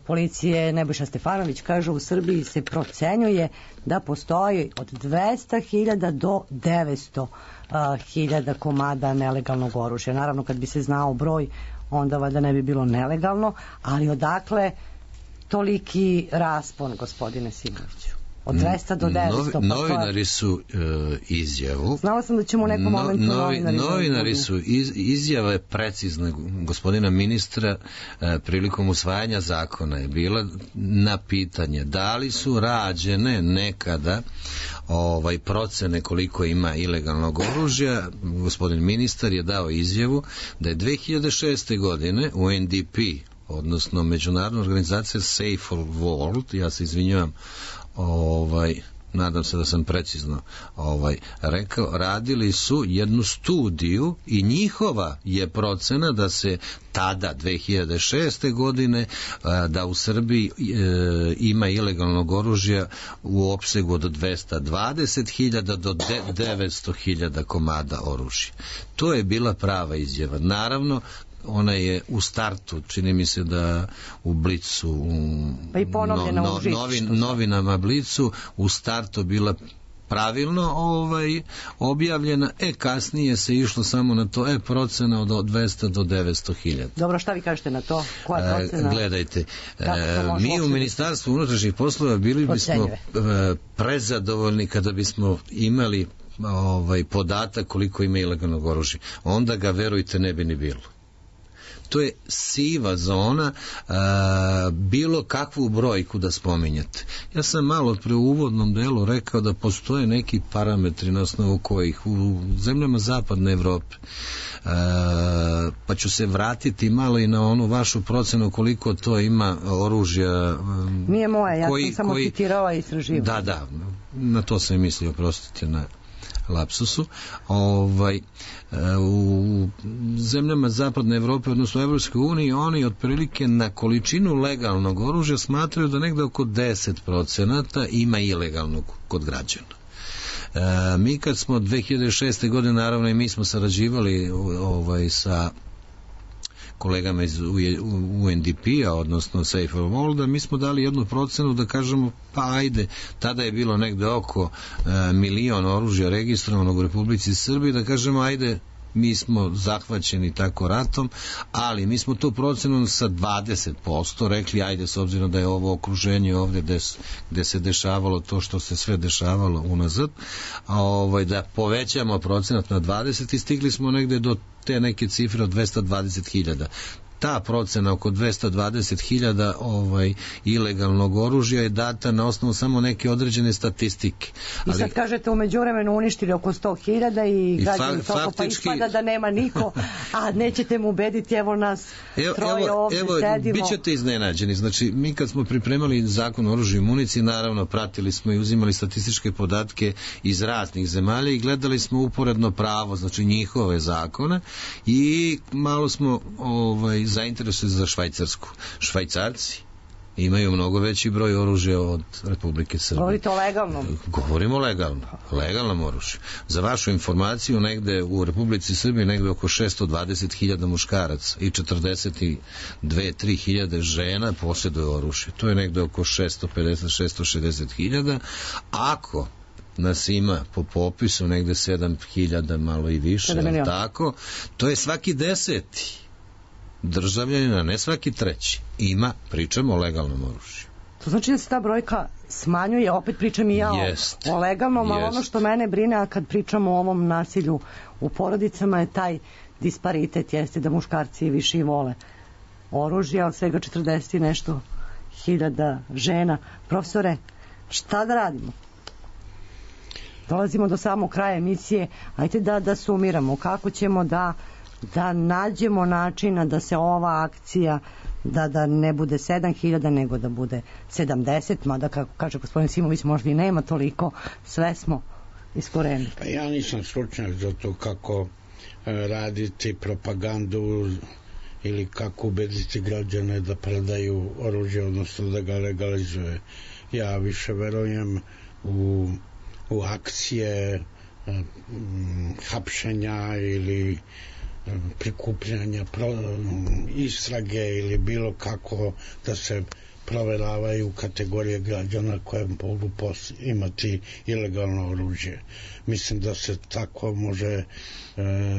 policije Nebojša Stefanović kaže u Srbiji se procenjuje da postoji od 200.000 do 900.000 komada nelegalnog oružja. Naravno, kad bi se znao broj, onda valjda ne bi bilo nelegalno, ali odakle toliki raspon, gospodine Simoviću? Od 200 do 900. Novinari su izjavu. Znala sam da ćemo u nekom momentu novinari su izjave precizne gospodina ministra prilikom usvajanja zakona je bila na pitanje da li su rađene nekada procene koliko ima ilegalnog oružja. Gospodin ministar je dao izjavu da je 2006. godine UNDP, odnosno Međunarodna organizacija Safer World, ja se izvinjavam, nadam se da sam precizno rekao, radili su jednu studiju i njihova je procena da se tada 2006. godine da u Srbiji ima ilegalnog oružja u opsegu od 220.000 do 900.000 komada oružja. To je bila prava izjava. Naravno, ona je u startu, čini mi se da u Blicu, pa i novinama Blicu, u startu bila pravilno objavljena, kasnije se išlo samo na to, procena od 200 do 900.000. Dobro, šta vi kažete na to? Koja procena? Gledajte, mi u Ministarstvu unutrašnjih poslova bili bismo prezadovoljni kada bismo imali podatak koliko ima ilegalnog oružja. Onda ga, verujte, ne bi ni bilo. To je siva zona, bilo kakvu brojku da spominjate. Ja sam malo pre u uvodnom delu rekao da postoje neki parametri na osnovu kojih u zemljama zapadne Evrope, pa ću se vratiti malo i na onu vašu procenu koliko to ima oružja. Nije moja, ja sam samo citirala i istraživanja. Da, na to sam mislio, oprostite na lapsusu. U zemljama zapadne Evrope, odnosno u Evropskoj uniji, oni otprilike na količinu legalnog oružja smatraju da negde oko 10% ima ilegalnog kod građana. Mi kad smo 2006. godine, naravno i mi smo sarađivali sa kolegama iz UNDP-a, odnosno Safer World, mi smo dali jednu procenu da kažemo, pa ajde, tada je bilo negde oko 1 milion oružja registrovanog u Republici Srbiji, da kažemo, ajde, mi smo zahvaćeni tako ratom, ali mi smo tu procenu sa 20% rekli, ajde, s obzirom da je ovo okruženje ovdje gde se dešavalo to što se sve dešavalo unazad, da povećamo procenat na 20 i stigli smo negde do te neke cifre od 220.000. Ta procena oko 220.000 ilegalnog oružja je data na osnovu samo neke određene statistike. I sad kažete, u međuvremenu uništili oko 100.000 i građani toliko, pa ispada da nema niko, a nećete mu ubediti, evo nas troje ovdje sedimo. Bit ćete iznenađeni. Znači, mi kad smo pripremali zakon o oružju i municiji, naravno pratili smo i uzimali statističke podatke iz raznih zemalja i gledali smo uporedno pravo, znači njihove zakone, i malo smo zainteresuje za Švajcarsku. Švajcarci imaju mnogo veći broj oružja od Republike Srbije. Govorite o legalnom? Govorimo legalnom oružju. Za vašu informaciju, negde u Republici Srbije negde oko 620.000 muškaraca i 42-3.000 žena posjeduje oružje. To je negde oko 650-660.000. Ako nas ima po popisu negde 7.000, malo i više, tako, to je svaki 10. državljanina, ne svaki 3. pričamo o legalnom oružju. To znači da se ta brojka smanjuje, opet pričam i ja o legalnom, ali ono što mene brine, a kad pričamo o ovom nasilju u porodicama, je taj disparitet, jeste da muškarci više i vole oružje, ali svega 40 i nešto hiljada žena. Profesore, šta da radimo? Dolazimo do samog kraja emisije, ajte da sumiramo kako ćemo da da nađemo načina da se ova akcija da ne bude 7.000 nego da bude 70, mada kako kaže gospodin Simović možda i nema toliko, sve smo iskorenili. Pa ja nisam stručnjak za to kako raditi propagandu ili kako ubediti građane da predaju oružje, odnosno da ga legalizuje. Ja više verujem u akcije hapšenja ili prikupljanja istrage ili bilo kako da se proveravaju kategorije građana koje mogu imati ilegalno oružje. Mislim da se tako može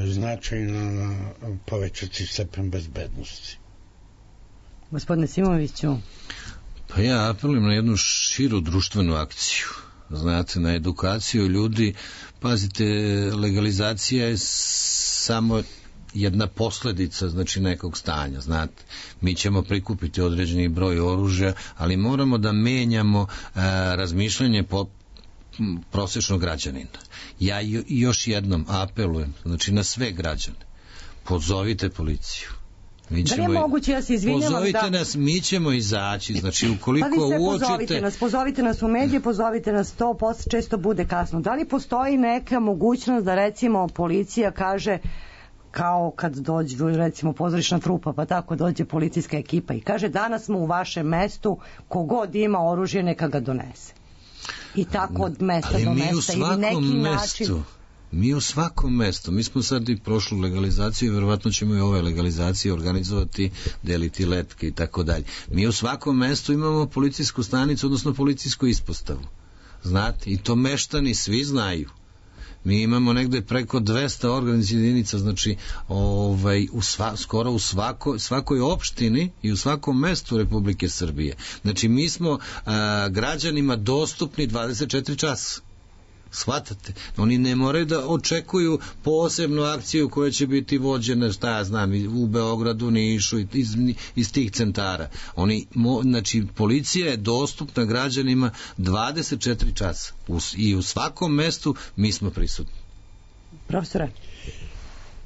značajno povećati stepen bezbednosti. Gospodine Simoviću. Pa ja apelujem na jednu širu društvenu akciju. Znate, na edukaciju ljudi. Pazite, legalizacija je samo jedna posledica, znači, nekog stanja, znate. Mi ćemo prikupiti određeni broj oružja, ali moramo da menjamo razmišljanje prosječnog građanina. Ja još jednom apelujem, znači, na sve građane. Pozovite policiju. Da li je moguće, ja se izvinjavam, pozovite nas, mi ćemo izaći, znači ukoliko uočite... Pozovite nas u medije, pozovite nas to, posle često bude kasno. Da li postoji neka mogućnost da recimo policija kaže, kao kad dođu recimo pozorišna trupa, pa tako dođe policijska ekipa i kaže danas smo u vašem mestu, kogod ima oružje neka ga donese. I tako od mesta do mesta ili neki način... Mi u svakom mestu, mi smo sad i prošlu legalizaciju i verovatno ćemo i ove legalizacije organizovati, deliti letke i tako dalje. Mi u svakom mestu imamo policijsku stanicu, odnosno policijsku ispostavu. Znate, i to meštani svi znaju. Mi imamo negde preko 200 organizacijskih jedinica, znači skoro u svakoj opštini i u svakom mestu Republike Srbije. Znači mi smo građanima dostupni 24 časa. Shvatate? Oni ne moraju da očekuju posebnu akciju koja će biti vođena, šta ja znam, u Beogradu, Nišu, iz tih centara. Znači, policija je dostupna građanima 24 časa. I u svakom mestu mi smo prisutni. Profesore?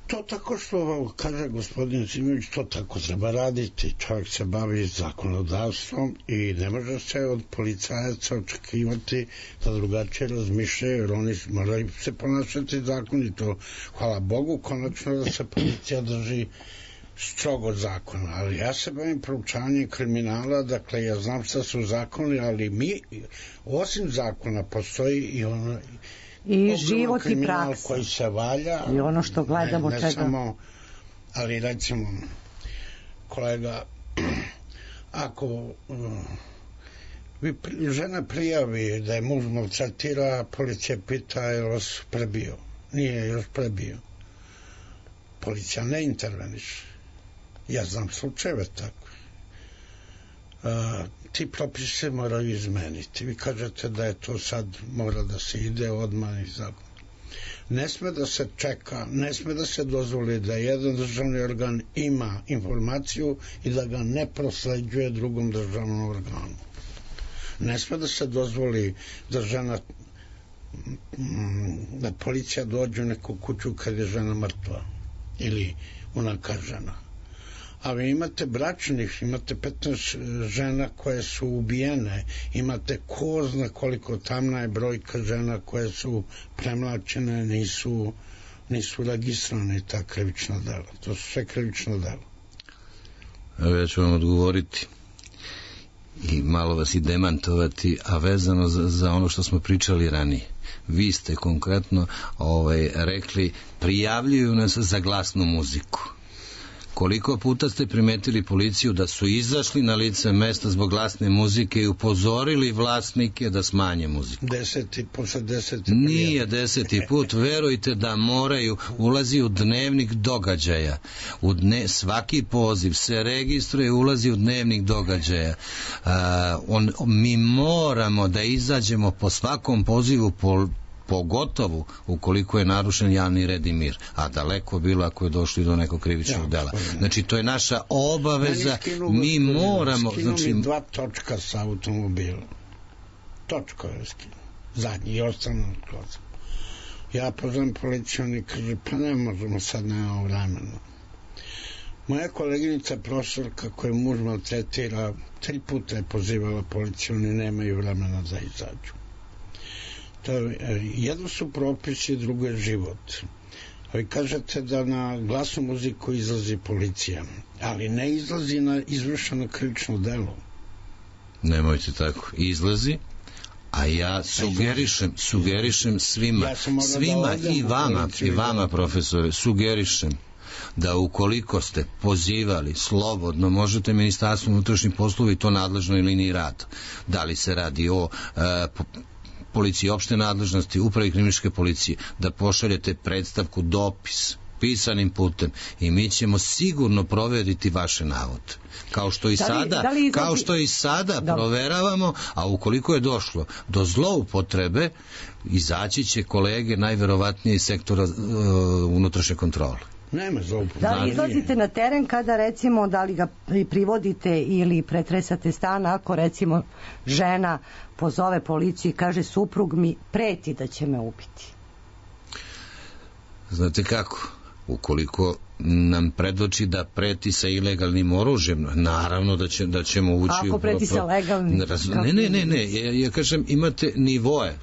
To tako što kaže gospodin Simović, to tako treba raditi. Čovjek se bavi zakonodavstvom i ne može se od policajaca očekivati da drugačije razmišljaju, jer oni moraju se ponašati zakonito. Hvala Bogu, konačno da se policija drži strogo zakona, ali ja se bavim proučavanjem kriminala, dakle ja znam šta su zakoni, ali mi, osim zakona, postoji i ono i život i praksa koji se valja i ono što gledamo ne samo, ali recimo kolega, ako žena prijavi da je muž maltretira, policija pita je li vas prebio, nije još prebio, policija ne interveniše. Ja znam slučajeve tako. Ti propisi se moraju izmeniti. Vi kažete da je to sad mora da se ide odmah i zakon. Ne sme da se čeka, ne sme da se dozvoli da jedan državni organ ima informaciju i da ga ne prosleđuje drugom državnom organu. Ne sme da se dozvoli da policija dođe u neku kuću kad je žena mrtva ili unakažena. A vi imate bračnih, imate 15 žena koje su ubijene, imate ko zna koliko tamna je brojka žena koje su premlačene, nisu registrovane ta krivična dela. To su sve krivična dela. Evo ja ću vam odgovoriti i malo vas i demantovati, a vezano za ono što smo pričali ranije. Vi ste konkretno rekli, prijavljuju nas za glasnu muziku. Koliko puta ste primetili policiju da su izašli na lice mesta zbog glasne muzike i upozorili vlasnike da smanje muziku? Posle 10. Nije 10. put, verujte da moraju, ulazi u dnevnik događaja. Svaki poziv se registruje, ulazi u dnevnik događaja. Mi moramo da izađemo po svakom pozivu pogotovo ukoliko je narušen javni red i mir, a daleko bilo ako je došlo do nekog krivičnog dela. Znači, to je naša obaveza, mi moramo... Skinu mi 2 točka sa automobila. Točko je skinu. Zadnji i ostanu kroz. Ja pozvam policiju, oni kaže, pa ne možemo sad, nemamo vremena. Moja koleginica profesorka koju muž maltretira 3 puta je pozivala policiju, oni nemaju vremena da izađu. Jedno su propisi, drugo je život. Vi kažete da na glasnu muziku izlazi policija, ali ne izlazi na izvršeno krivično delo. Nemojte tako, izlazi, a ja sugerišem svima i vama profesore, sugerišem da ukoliko ste pozivali slobodno, možete Ministarstvo unutrašnjih poslova i to nadležnoj liniji rada. Da li se radi o policiji opšte nadležnosti, upravi kriminalističke policije, da pošaljete predstavku, dopis, pisanim putem i mi ćemo sigurno proveriti vaše navode. Kao što i sada proveravamo, a ukoliko je došlo do zloupotrebe, izaći će kolege najverovatnije iz sektora unutrašnje kontrole. Nema zloupotrebe. Da li izlazite na teren kada recimo da li ga privodite ili pretresate stan ako recimo žena pozove policiju i kaže suprug mi preti da će me ubiti? Znate kako? Ukoliko nam predoči da preti sa ilegalnim oružjem, naravno da ćemo ući... Ako preti sa legalnim... Ne, ja kažem imate nivoe,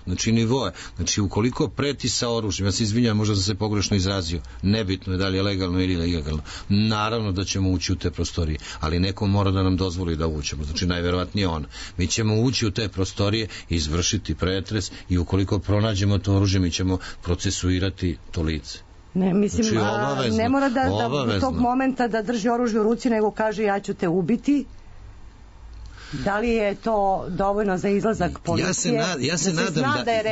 znači ukoliko preti sa oružjem, ja se izvinjam, možda sam se pogrešno izrazio, nebitno je da li je legalno ili ilegalno, naravno da ćemo ući u te prostorije, ali neko mora da nam dozvoli da uđemo, znači najverovatnije ona. Mi ćemo ući u te prostorije, izvršiti pretres i ukoliko pronađemo to oružje, mi ćemo procesuirati to lice. Ne, mislim, znači, ne mora da u tog momenta da drži oružje u ruci, nego kaže ja ću te ubiti. Da li je to dovoljno za izlazak policije?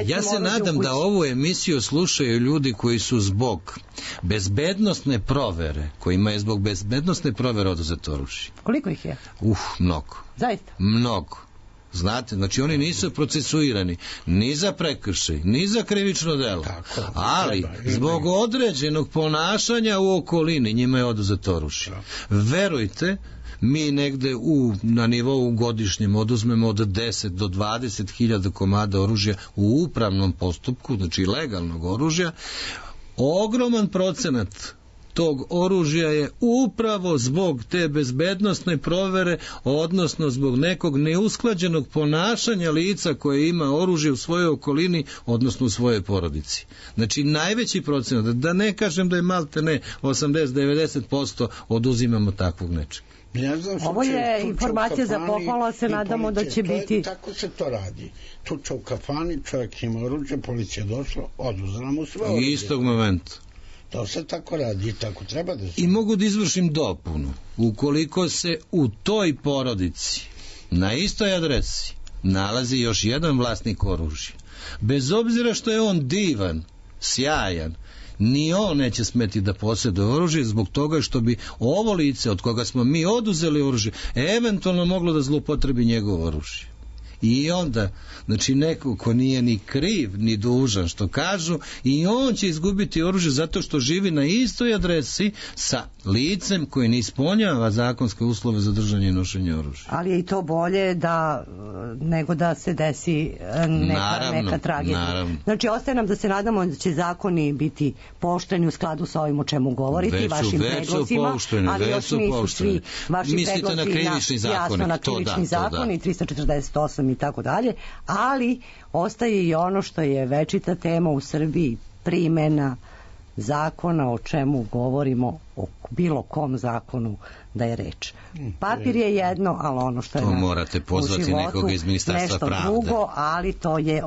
Ja se nadam da ovu emisiju slušaju ljudi koji su zbog bezbednosne provere, kojima je zbog bezbednosne provere oduzeto oružje. Koliko ih je? Mnogo. Zaista? Mnogo. Znate, znači oni nisu procesuirani ni za prekršaj, ni za krivično delo, ali zbog određenog ponašanja u okolini njima je oduzeto oružje. Verujte, mi negde na nivou godišnjem oduzmemo od 10 do 20 hiljada komada oružja u upravnom postupku, znači legalnog oružja. Ogroman procenat tog oružja je upravo zbog te bezbednosne provere, odnosno zbog nekog neusklađenog ponašanja lica koje ima oružje u svojoj okolini, odnosno u svojoj porodici. Znači najveći procenat, da ne kažem da je maltene 80-90% oduzimamo takvog nečega. Ovo je informacija za pohvalu, se nadamo da će biti... Tako se to radi. Tuča u kafani, čovjek ima oružje, policija došla, oduzela mu sve oružje. Istog momenta. To se tako radi i tako treba da se... I mogu da izvršim dopunu. Ukoliko se u toj porodici na istoj adresi nalazi još jedan vlasnik oružja, bez obzira što je on divan, sjajan, ni on neće smeti da posjeduje oružje zbog toga što bi ovo lice od koga smo mi oduzeli oružje eventualno moglo da zloupotrebi njegovo oružje. I onda, znači neko ko nije ni kriv, ni dužan, što kažu, i on će izgubiti oružje zato što živi na istoj adresi sa licem koji ne ispunjava zakonske uslove za držanje i nošenje oružja. Ali je i to bolje nego da se desi neka tragedija. Naravno. Znači, ostaje nam da se nadamo da će zakoni biti pošteni u skladu sa ovim o čemu govoriti, vašim predlozima, ali još nisu svi vaši mislite na krivični zakon, na krivični zakon i 348 i tako dalje, ali ostaje i ono što je večita tema u Srbiji, primjena zakona, o čemu govorimo, o bilo kom zakonu da je reč. Papir je jedno, ali ono što je to morate pozvati u životu, nekoga iz Ministarstva pravde. Nešto drugo, ali to je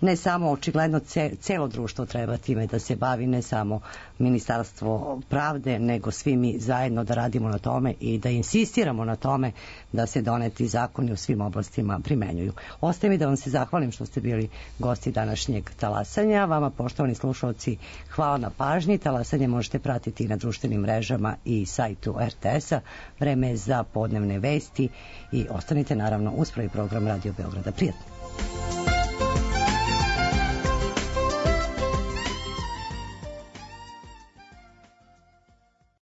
ne samo očigledno celo društvo treba time da se bavi, ne samo Ministarstvo pravde, nego svi mi zajedno da radimo na tome i da insistiramo na tome da se doneti zakoni u svim oblastima primenjuju. Ostaje mi da vam se zahvalim što ste bili gosti današnjeg talasanja. Vama, poštovani slušalci, hvala na pažnji. Talasanje možete pratiti i na društvenim mrežama i sajtu RTS-a. Vreme je za podnevne vesti i ostanite naravno uz prvi program Radio Beograda. Prijatno.